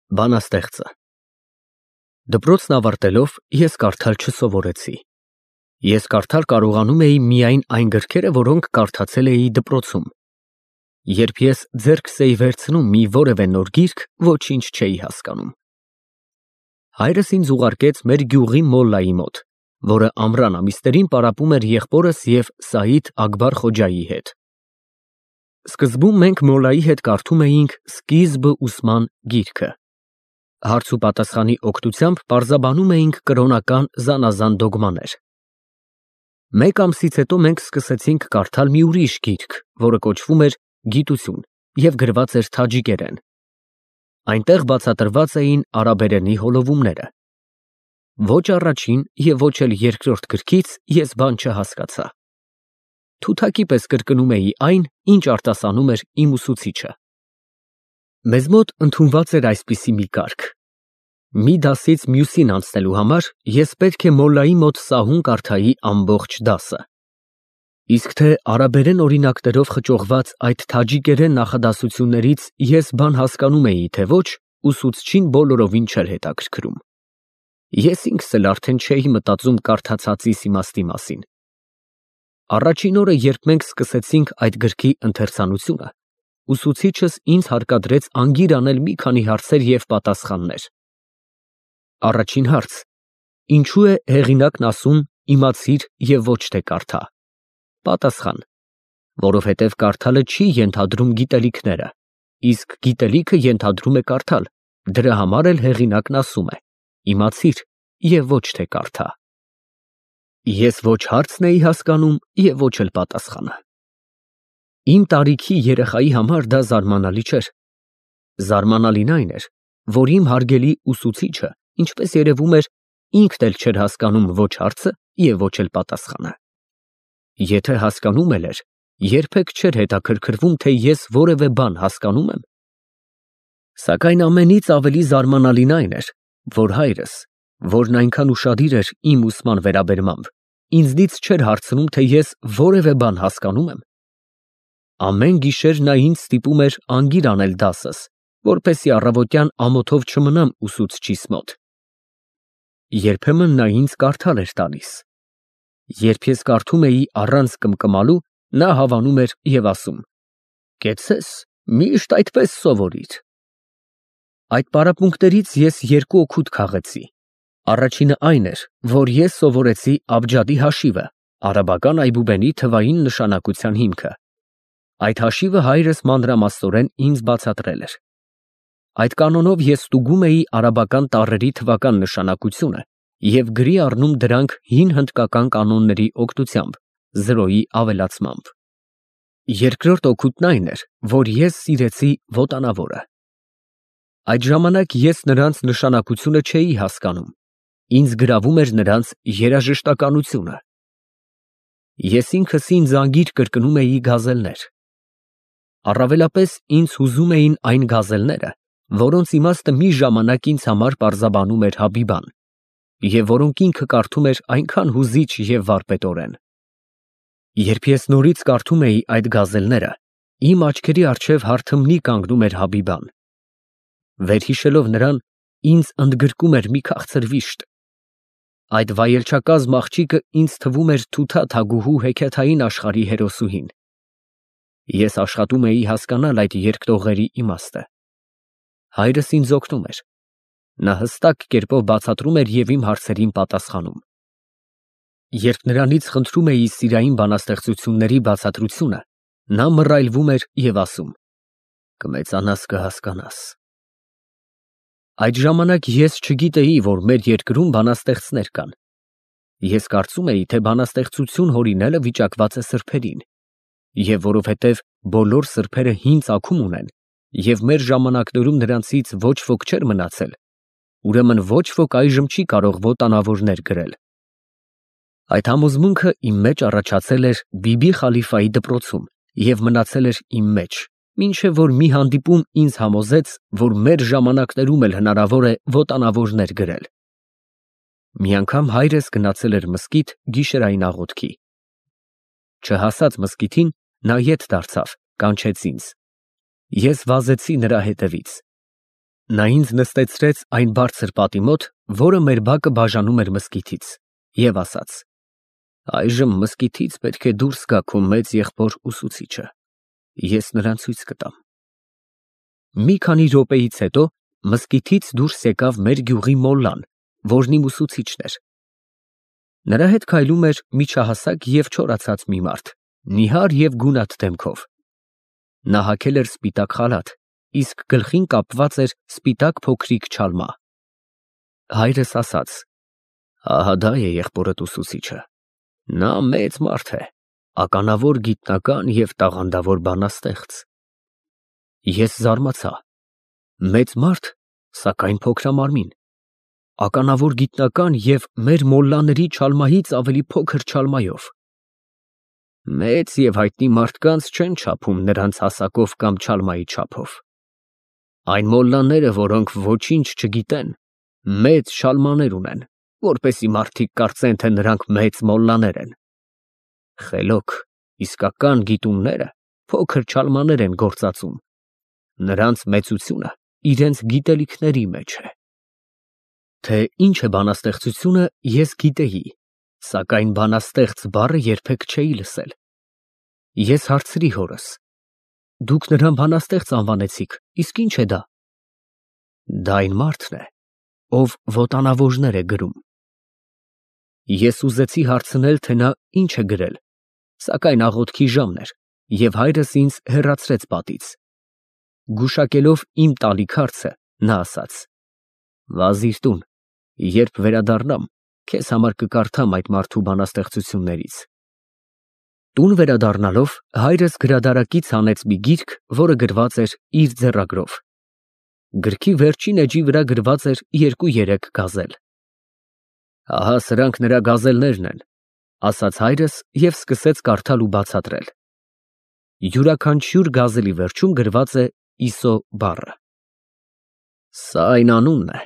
Բանաստեղծը Դպրոցն ավարտելով ես կարդալ չսովորեցի։ Ես կարդալ կարողանում էի միայն այն գրքերը, որոնք կարդացել էի դպրոցում։ Երբ ես ձեռքս էի վերցնում մի որևէ նոր գիրք, ոչինչ չէի հասկանում։ Հայրս ինձ ուղարկեց մեր գյուղի մոլլայի մոտ, որը ամռան ամիսներին պարապում էր եղբորս և Սաիդ Աքբար Խոջայի հետ։ Սկզբում մենք մոլլայի հետ կարդում էինք «Սկիզբը ուսման» գիրքը։ Հարց ու պատասխանի օգնությամբ պարզաբանում էինք կրոնական զանազան դոգմաներ։ Մեկ ամսից հետո մենք սկսեցինք կարդալ մի ուրիշ գիրք, որը կոչվում էր «Գիտություն» և գրված էր թաջիկերեն։ Այնտեղ բացատրված էին արաբերենի հոլովումները։ Ոչ առաջին և ոչ էլ երկրորդ գրքից ես բան չհասկացա։ Թութակի պես կրկնում էի այն, ինչ արտասանում էր իմ ուսուցիչը։ Մեզ մոտ ընդունված էր այսպիսի մի կարգ. մի դասից մյուսին անցնելու համար ես պետք է մոլլայի մոտ սահուն կարդայի ամբողջ դասը։ Իսկ թե արաբերեն օրինակներով խճողված այդ թաջիկերեն նախադասություններից ես բան հասկանում էի, թե ոչ, ուսուցչին բոլորովին չէր հետաքրքրում։ Ես ինքս էլ արդեն չէի մտածում կարդացածիս իմաստի մասին։ Առաջին օրը, երբ մենք սկսեցինք այդ գրքի ընթերցանությունը, ուսուցիչս ինձ հարկադրեց անգիր անել մի քանի հարցեր և պատասխաններ։ Առաջին հարց. Ինչու է հեղինակն ասում իմացիր և ոչ թե կարդա։ Պատասխան. որովհետև կարդալը չի ենթադրում գիտելիքները, իսկ գիտելիքը ենթադրում է կարդալ, դրա համար էլ հեղինակն ասում է իմացիր և ոչ թե կարդա։ Ես ոչ հարցն էի հասկանում և ոչ էլ պատասխանը։ Իմ տարիքի երեխայի համար դա զարմանալի չէր։ Զարմանալին այն էր, որ իմ հարգելի ուսուցիչը, ինչպես երևում էր, ինքն էլ չէր հասկանում ոչ հարցը և ոչ էլ պատասխանը։ Եթե հասկանում էլ էր, երբեք չէր հետաքրքրվում, թե ես որևէ բան հասկանում եմ։ Սակայն ամենից ավելի զարմանալին այն էր, որ հայրս, որն այնքան ուշադիր էր իմ ուսման վերաբերմամբ, ինձնից չէր հարցնում, թե ես որևէ բան հասկանում եմ։ Ամեն գիշեր նա ինձ ստիպում էր անգիր անել դասս, որպեսզի առավոտյան ամոթով չմնամ ուսուցչիս մոտ։ Երբեմն նա ինձ կարդալ էր տալիս։ Երբ ես կարդում էի առանց կմկմալու, նա հավանում էր և ասում. «Կեցցես, միշտ այդպես սովորիր»։ Այդ պարապմունքներից ես երկու օգուտ քաղեցի։ Առաջինը այն էր, որ ես սովորեցի աբջադի հաշիվը, արաբական այբուբենի թվային նշանակության հիմքը։ Այդ հաշիվը հայրս մանրամասնորեն ինձ բացատրել էր։ Այդ կանոնով ես ստուգում էի արաբական տառերի թվական նշանակությունը և գրի առնում դրանք հին հնդկական կանոնների օգնությամբ, զրոյի ավելացմամբ։ Երկրորդ օգուտն այն էր, որ ես սիրեցի ոտանավորը։ Այդ ժամանակ ես նրանց նշանակությունը չէի հասկանում, ինձ գրավում էր նրանց երաժշտականությունը։ Ես ինքս ինձ անգիր կրկնում էի գազելներ։ Առավելապես ինձ հուզում էին այն գազելները, որոնց իմաստը մի ժամանակ ինձ համար պարզաբանում էր Հաբիբան, և որոնք ինքը կարդում էր այնքան հուզիչ և վարպետորեն։ Երբ ես նորից կարդում էի այդ գազելները, իմ աչքերի առջև հարթմնի կանգնում էր Հաբիբան։ Վերհիշելով նրան, ինձ ընդգրկում էր մի քաղցր վիշտ։ Այդ վայելչակազմ աղջիկը ինձ թվում էր Թութա թագուհու հեքիաթային աշխարհի հերոսուհին։ Ես աշխատում էի հասկանալ այդ երկտողերի իմաստը։ Հայրս ինձ օգնում էր։ Նա հստակ կերպով բացատրում էր և իմ հարցերին պատասխանում։ Երբ նրանից խնդրում էի սիրային բանաստեղծությունների բացատրությունը, նա մռայլվում էր և ասում. «Կմեծանաս կհասկանաս»։ Այդ ժամանակ ես չգիտեի, որ մեր երկրում բանաստեղծներ կան։ Ես կարծում էի, թե բանաստեղծություն հորինելը վիճակված է սրբերին, և որովհետև բոլոր սրբերը հին ծագում ունեն, և մեր ժամանակներում նրանցից ոչ ոք չէր մնացել, ուրեմն ոչ ոք այժմ չի կարող ոտանավորներ գրել։ Այդ համոզմունքը իմ մեջ առաջացել էր Բիբի Խալիֆայի դպրոցում և մնացել էր իմ մեջ, մինչև որ մի հանդիպում ինձ համոզեց, որ մեր ժամանակներում էլ հնարավոր է ոտանավորներ գրել։ Մի անգամ հայրս գնացել էր մզկիթ գիշերային աղոթքի։ Չհասած մզկիթին, նա ետ դարձավ, կանչեց ինձ։ Ես վազեցի նրա հետևից։ Նա ինձ նստեցրեց այն բարձր պատի մոտ, որը մեր բակը բաժանում էր մզկիթից, և ասաց. «Այժմ մզկիթից պետք է դուրս գա քո մեծ եղբոր ուսուցիչը, ես նրան ցույց կտամ»։ Մի քանի րոպեից հետո մզկիթից դուրս եկավ մեր գյուղի մոլլան, որն իմ ուսուցիչն էր։ Նրա հետ քայլում էր միջահասակ և չորացած մի մարդ, նիհար և գունատ դեմքով։ Նա հագել էր սպիտակ խալաթ, իսկ գլխին կապված էր սպիտակ փոքրիկ չալմա։ Հայրս ասաց. «Ահա դա է եղբորդ ուսուցիչը։ Նա մեծ մարդ է, ականավոր գիտնական և տաղանդավոր բանաստեղծ»։ Ես զարմացա. մեծ մարդ, սակայն փոքրամարմին, ականավոր գիտնական և մեր մոլլաների չալմայից ավելի փոքր չալմայով։ Մեծ և հայտնի մարդկանց չեն չափում նրանց հասակով կամ չալմայի չափով։ Այն մոլլաները, որոնք ոչինչ չգիտեն, մեծ չալմաներ ունեն, որպեսզի մարդիկ կարծեն, թե նրանք մեծ մոլլաներ են։ Խելոք, իսկական գիտունները փոքր չալմաներ են գործածում։ Նրանց մեծությունը իրենց գիտելիքների մեջ է։ Թե ինչ է բանաստեղծությունը, ես գիտեի, սակայն բանաստեղծ բառը երբեք չէի լսել։ Ես հարցրի հորս. «Դուք նրան բանաստեղծ անվանեցիք, իսկ ի՞նչ է դա»։ Դա այն մարդն է, ով ոտանավորներ է գրում։ Ես ուզեցի հարցնել, թե նա ինչ է գրել, սակայն աղոթքի ժամն էր, և հայրս ինձ հեռացրեց պատից։ Գուշակելով իմ տալիք հարցը, նա ասաց. «Վազիր տուն, երբ վերադառնամ, քեզ համար կկարդամ այդ մարդու բանաստեղծություններից»։ Տուն վերադառնալով, հայրս գրադարակից հանեց մի գիրք, որը գրված էր իր ձեռագրով։ Գրքի վերջին էջի վրա գրված էր 2-3 գազել։ «Ահա սրանք նրա գազելներն են», ասաց հայրս և սկսեց կարդալ ու բացատրել։ Յուրաքանչյուր գազելի վերջում գրված է «Իսո» բառը։ Սա այն անունն է,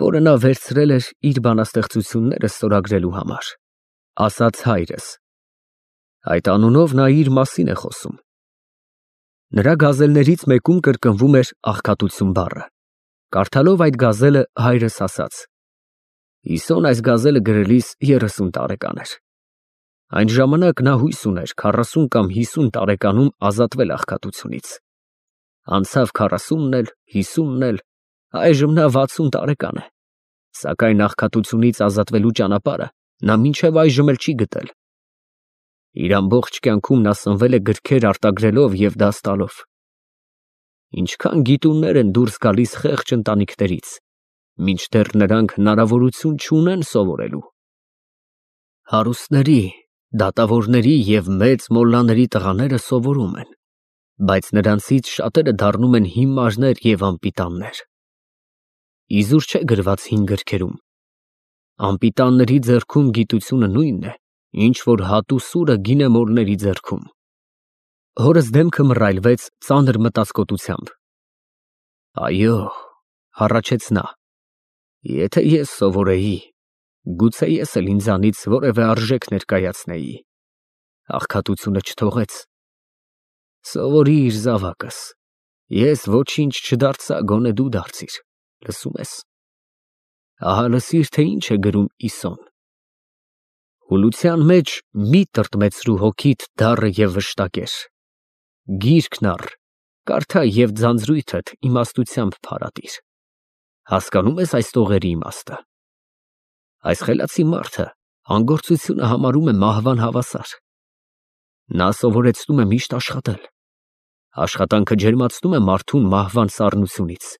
որը նա վերցրել էր իր բանաստեղծությունները ստորագրելու համար, ասաց հայրս։ Այդ անունով նա իր մասին է խոսում։ Նրա գազելներից մեկում կրկնվում էր աղքատություն բառը։ Կարդալով այդ գազելը, հայրս ասաց. «Իսոն այս գազելը գրելիս 30 տարեկան էր։ Այն ժամանակ նա հույս ուներ 40 կամ 50 տարեկանում ազատվել աղքատությունից։ Անցավ 40-ն էլ, 50-ն էլ, այժմ նա 60 տարեկան է, սակայն աղքատությունից ազատվելու ճանապարհը նա մինչև այժմ էլ չի գտել։ Իր ամբողջ կյանքում նա սնվել է գրքեր արտագրելով և դաս տալով։ Ինչքան գիտուններ են դուրս գալիս խեղճ ընտանիքներից, մինչդեռ նրանք հնարավորություն չունեն սովորելու։ Հարուստների, դատավորների և մեծ մոլլաների տղաները սովորում են, բայց նրանցից շատերը դառնում են հիմարներ և անպիտաններ։ Իզուր չէ գրված հին գրքերում. անպիտանների ձեռքում գիտությունը նույնն է, ինչ որ հատու սուրը գինեմորների ձեռքում։ Հորս դեմքը մռայլվեց ծանր մտածկոտությամբ։ Այո, հառաչեց նա, եթե ես սովորեի, գուցե ես էլ ինձանից որևէ արժեք ներկայացնեի։ Աղքատությունը չթողեց։ Սովորիր, զավակս, ես ոչինչ չդարձա, գոնե դու դարձիր, լսում ես։ Ահա լսիր, թե ինչ է գրում Իսոն. «Հուլության մեջ մի տրտմեցրու հոգիդ դառը և վշտակեր։ Գիրքն առ, կարդա և ձանձրույթդ իմաստությամբ փարատիր»։ Հասկանում ես այս տողերի իմաստը։ Այս խելացի մարդը անգործությունը համարում է մահվան հավասար։ Նա սովորեցնում է միշտ աշխատել։ Աշխատանքը ջերմացնում է մարդուն մահվան սառնությունից։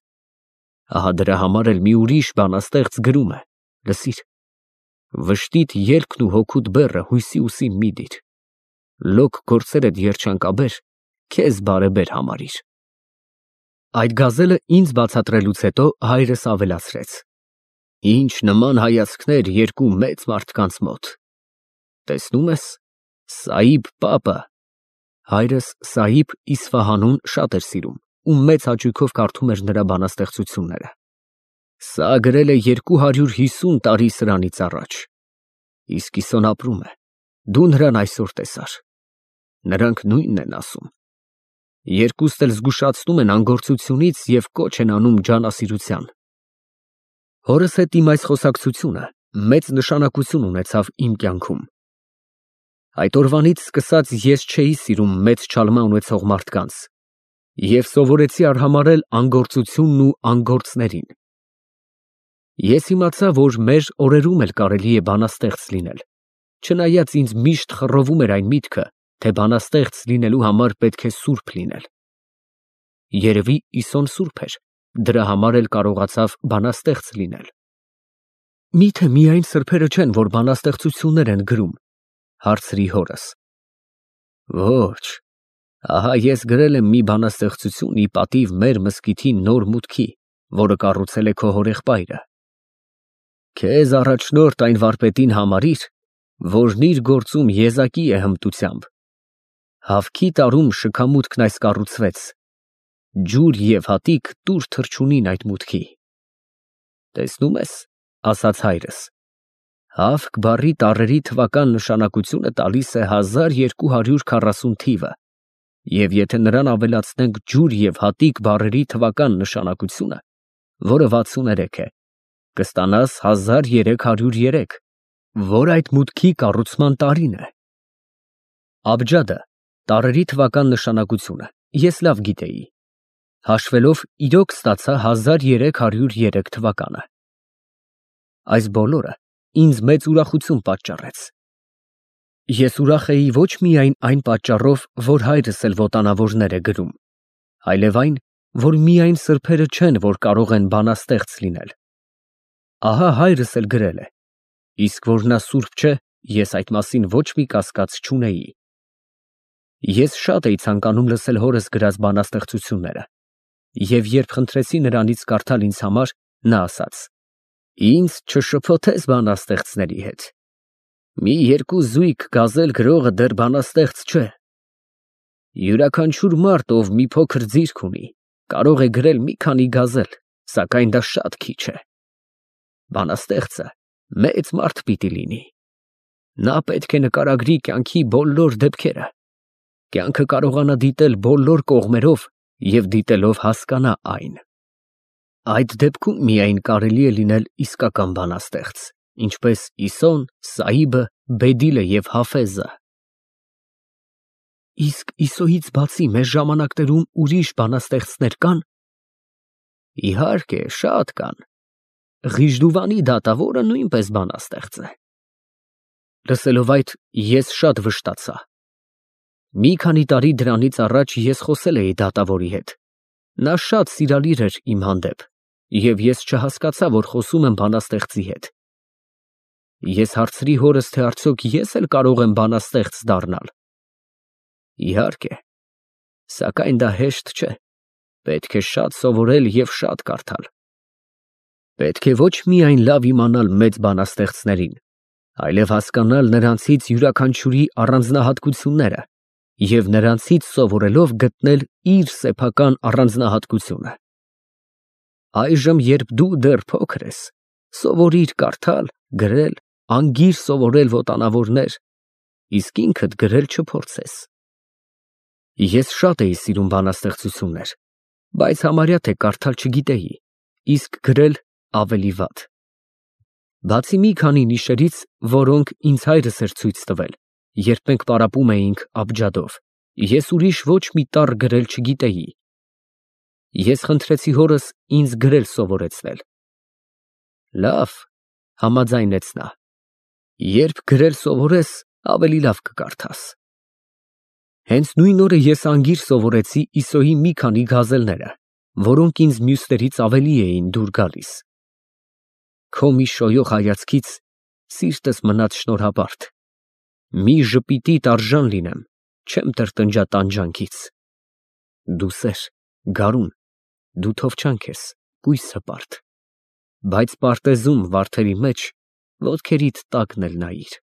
Ահա դրա համար էլ մի ուրիշ բանաստեղծ գրում է. լսիր. վշտիդ ելքն ու հոգուդ բեռը հույսի ուսին մի դիր։ Լոկ գործերդ երջանկաբեր, քեզ բարեբեր համարիր։ Այդ գազելը ինձ բացատրելուց հետո հայրս ավելացրեց. Ինչ նման հայացքներ երկու մեծ մարդկանց մոտ։ Տեսնում ես, Սաիբ պապը (հայրս Սաիբ Իսֆահանուն շատ էր սիրում ու մեծ հաճույքով կարդում էր նրա բանաստեղծությունները) սա գրել է 250 տարի սրանից առաջ։ Իսկ Իսոն ապրում է, դու նրան այսօր տեսար։ Նրանք նույնն են ասում։ Երկուստ էլ զգուշացնում են անգործությունից և կոչ են անում ջանասիրության։ Հորս հետ իմ այս խոսակցությունը մեծ նշանակություն ունեցավ իմ կյանքում։ Այդ օրվանից սկսած ես չէի սիրում մեծ չալմա ունեցող մարդկանց և սովորեցի արհամարհել անգործությունն ու անգործներին։ Ես իմացա, որ մեր օրերում էլ կարելի է բանաստեղծ լինել, չնայած ինձ միշտ խռովում էր այն միտքը, թե բանաստեղծ լինելու համար պետք է սուրբ լինել։ Երևի Իսոն սուրբ էր, դրա համար էլ կարողացավ բանաստեղծ լինել։ Միթե միայն սրբերը չեն, որ բանաստեղծություններ են գրում, հարցրի հորս։ Ոչ, ահա ես գրել եմ մի բանաստեղծություն ի պատիվ մեր մզկիթի նոր մուտքի, որը կառուցել է քո հորեղբայրը։ Քեզ առաջնորդ այն վարպետին համարիր, որն իր գործում եզակի է հմտությամբ։ Հավքի տարում շքամուտքն այս կառուցվեց, ջուր և հատիկ տուր թռչունին այդ մուտքի։ Տեսնում ես, ասաց հայրս, հավք բառի տառերի թվական նշանակությունը տալիս է 1240 թիվը, և եթե նրան ավելացնենք ջուր և հատիկ բառերի թվական նշանակությունը, որը 63 է, կստանաս 1303, որ այդ մուտքի կառուցման տարին է։ Աբջադը, տառերի թվական նշանակությունը, ես լավ գիտեի։ Հաշվելով իրոք ստացա 1303 թվականը։ Այս բոլորը ինձ մեծ ուրախություն պատճառեց։ Ես ուրախ էի ոչ միայն այն պատճառով, որ հայրս էլ ոտանավորներ է գրում, այլև այն, որ միայն սրբերը չեն, որ կարող են բանաստեղծ լինել։ Ահա հայրս էլ գրել է, իսկ որ նա սուրբ չէ, ես այդ մասին ոչ մի կասկած չունեի։ Ես շատ էի ցանկանում լսել հորս գրած բանաստեղծությունները, և երբ խնդրեցի նրանից կարդալ ինձ համար, նա ասաց. Ինձ չշփոթես բանաստեղծների հետ։ Մի երկու զույգ գազել գրողը դեռ բանաստեղծ չէ։ Յուրաքանչյուր մարդ, ով մի փոքր ձիրք ունի, կարող է գրել մի քանի գազել, սակայն դա շատ քիչ է։ Բանաստեղծը մեծ մարդ պիտի լինի։ Նա պետք է նկարագրի կյանքի բոլոր դեպքերը, կյանքը կարողանա դիտել բոլոր կողմերով և դիտելով հասկանա այն։ Այդ դեպքում միայն կարելի է լինել իսկական բանաստեղծ, ինչպես Իսոն, Սաիբը, Բեդիլը և Հաֆեզը։ Իսկ Իսոյից բացի մեր ժամանակներում ուրիշ բանաստեղծներ կան։ Իհարկե, շատ կան։ Ղիժդուվանի դատավորը նույնպես բանաստեղծ է։ Լսելով այդ, ես շատ վշտացա։ Մի քանի տարի դրանից առաջ ես խոսել էի դատավորի հետ։ Նա շատ սիրալիր էր իմ հանդեպ, և ես չհասկացա, որ խոսում եմ բանաստեղծի հետ։ Ես հարցրի հորս, թե արդյոք ես էլ կարող եմ բանաստեղծ դառնալ։ Իհարկե, սակայն դա հեշտ չէ, պետք է շատ սովորել և շատ կարդալ։ Պետք է ոչ միայն լավ իմանալ մեծ բանաստեղծներին, այլև հասկանալ նրանցից յուրաքանչյուրի առանձնահատկությունները և նրանցից սովորելով գտնել իր սեփական առանձնահատկությունը։ Այժմ, երբ դու դեռ փոքր ես, սովորիր կարդալ, գրել, անգիր սովորել ոտանավորներ, իսկ ինքդ գրել չփորձես։ Ես շատ էի սիրում բանաստեղծություններ, բայց համարյա թե կարդալ չգիտեի, իսկ գրել ավելի վատ։ Բացի մի քանի նիշերից, որոնք ինձ հայրս էր ցույց տվել, երբ մենք պարապում էինք աբջադով, ես ուրիշ ոչ մի տառ գրել չգիտեի։ Ես խնդրեցի հորս ինձ գրել սովորեցնել։ Լավ, համաձայնեց նա։ Երբ գրել սովորես, ավելի լավ կկարդաս։ Հենց նույն օրը ես անգիր սովորեցի Իսոյի մի քանի գազելները, որոնք ինձ մյուսներից ավելի էին դուր գալիս։ Քո մի շոյող հայացքից սիրտս մնաց շնորհապարտ։ Մի ժպիտիդ արժան լինեմ, չեմ տրտնջա տանջանքից։ Դու սեր, գարուն, դու թովչանք ես, կույս հպարտ, բայց պարտեզում վարդերի մեջ ոտքերիդ տակն էլ նայիր։